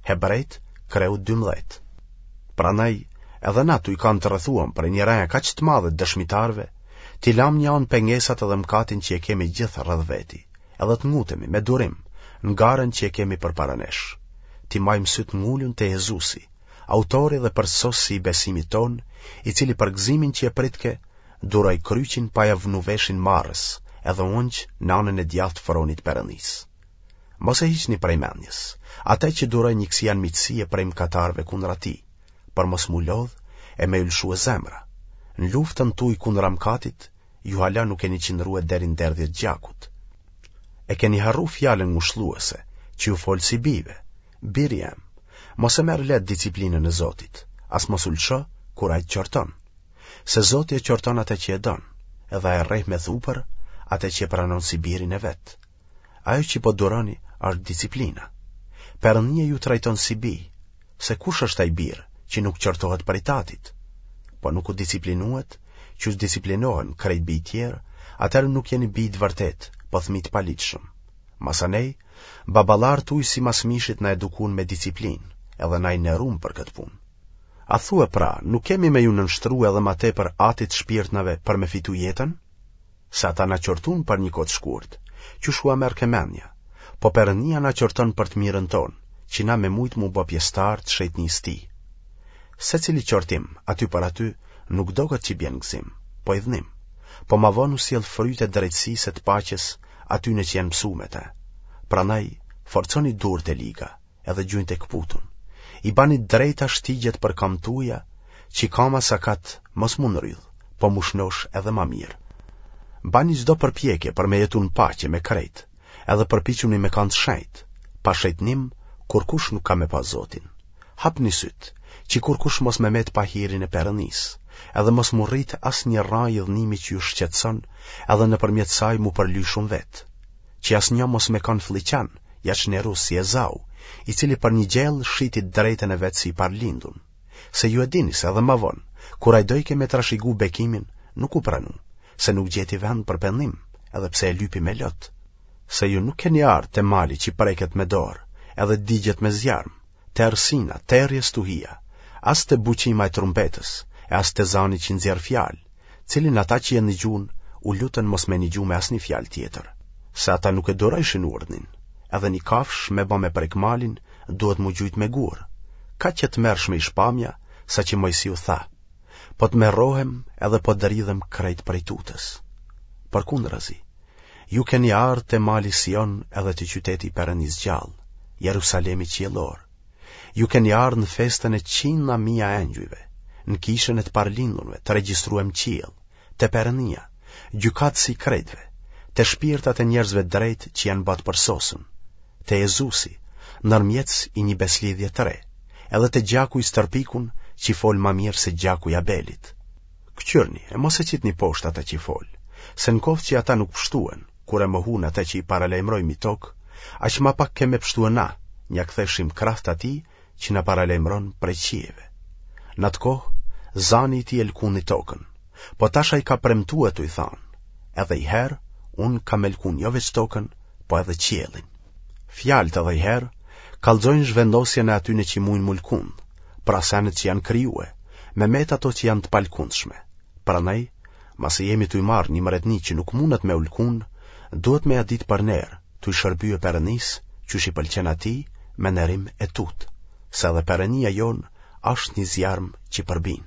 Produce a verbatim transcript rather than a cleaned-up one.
Hebrejt, kreu dymbëdhjetë. Prandaj, edhe na tuj kanë të rrethuam prej një reje kaq të madhe të dëshmitarëve, t'i lamë një anë pengesat edhe mëkatin që e kemi gjithë rreth veti, edhe të ngutemi me durim në garën që e kemi përpara nesh. T'i majmë sytë ngulun te Jezusi, autori dhe përsosësi i besimit tonë, i cili për gëzimin që e pritke, duroi kryqin pa ja vnu veshin marrës, edhe u ungj në anën e djathtë të fronit Perëndisë. Mos e hiqni prej mendjes, atë që duroi një kësi anmiqësie prej mëkatarëve kundra tij, për mos m'u lodh e me ju lëshue zemra. Në luftën tuj kundra mëkatit, ju hala nuk keni qëndrue deri në derdhje të gjakut. E keni harru fjalën ngushëlluese, që ju fol si bijve, Biri jem, mos e merr lehtë disiplinën e Zotit, as mos u lësho kur ai të qorton. Se Zoti e qorton atë që e don, edhe e rreh me thupër atë që e pranon si birin e vet. Ajo që po duroni është disiplina. Perëndia ju trajton si bij, se kush është ai bir që nuk qortohet prej tatit? Po nuk u disiplinuet, qysh disiplinohen krejt bijtë tjerë, atëherë nuk jeni bij të vërtetë, po fëmijë të paligjshëm. Masanej, baballarët tuj simas mishit na edukun me disiplinë, edhe na i nderum për këtë punë. A thue pra, nuk kemi me ju nënshtru edhe ma tepër atit të shpirtnave për me fitu jetën? Se ata na qortun për një kohë të shkurt, qysh ua merrke mendja, po Perëndia na qorton për të mirën tonë, që na me mujtë m'u bë pjesëtarë të shejtnisë tij. Secili qortim, aty për aty, nuk doket që bjen gëzim, po idhnim, po ma vonë u sjell fryte drejtësisë e të paqes atyne që janë mësu me te. Prandaj, forconi durët e liga, edhe gjunjtë e këputun. I bani drejta shtigjet për kamët tuja, që kama sakat mos m'u nrydh, po m'u shnosh edhe ma mirë. Bani çdo përpjekje për me jetu në paqe me krejt, edhe përpiquni me kanë të shenjtë, pa shejtnim, kurkush nuk ka me pa Zotin. Hapni sytë, që kurkush mos me met pa hirin e Perëndisë, edhe mos m'u rrit asnjë rrajë idhnimi që ju shqetëson, edhe nëpërmjet saj m'u përly shumë vetë. Që asnjë mos me kanë flliqan, ja çnerus si Ezau, i cili për një gjellë shiti të drejtën e vet si i parlindun. Se ju e dini se edhe ma vonë, kur ai dojke me trashigu bekimin, nuk u pranu, se nuk gjeti vend për pendim, edhe pse e lypi me lot. Se ju nuk keni ardhë te mali që preket me dorë, edhe digjet me zjarm, te errësina, terri e stuhia, as te buçima e trumpetës, e as te zani që nxjerr fjalë, cilin ata që e nigjunë, u lutën mos me nigju me asnjë fjalë tjetër. Se ata nuk e durojshin urdhnin, edhe një kafshë me ba me prek malin, duhet m'u gjujt me gurë. Kaq e tmerrshme ish pamja, saqë Moisiu tha, po tmerrohem edhe po dridhem krejt prej tutës. Përkundrazi, ju keni ardhë te mali Sion edhe te qyteti i Perëndisë gjallë, Jerusalemi qiellor. Ju keni ardhë në festën e qindra mija engjujve, në kishën e të parlindunve, të regjistruem në qiell, te Perëndia, gjykatësi i krejtve, te shpirtat e njerëzve drejtë që janë ba të përsosun, te Jezusi, ndërmjetës i një beslidhje të re, edhe te gjaku i stërpikun që fol ma mirë se gjaku i Abelit. Këqyrni, e mos e qitni poshtë ata që fol, se në koftë që ata nuk pështuen, kur e mohun ata që i paralajmëroi mi tokë, aq ma pak ke me pështue na, nja ktheshim kraht atij që na paralajmëron prej qiejve. Në atë kohë, zani i tij e lkundi tokën, po tash ai ka premtue tuj thanë, edhe i herë, unë kam me lkun jo veç tokën, po edhe qiellin. Fjalët edhe i herë, kallxojnë zhvendosjen e atyne që mujnë m'u lkund, pra senet që janë krijue, me met ato që janë të palkundshme. Prandaj, masi jemi tuj marrë një mretni që nuk mundet me u lkund, duhet me ja ditë për ner, tuj shërbye Perëndisë, qysh i pëlqen atij, me nerim e tutë, se edhe Perëndia jonë është një zjarm që përbin.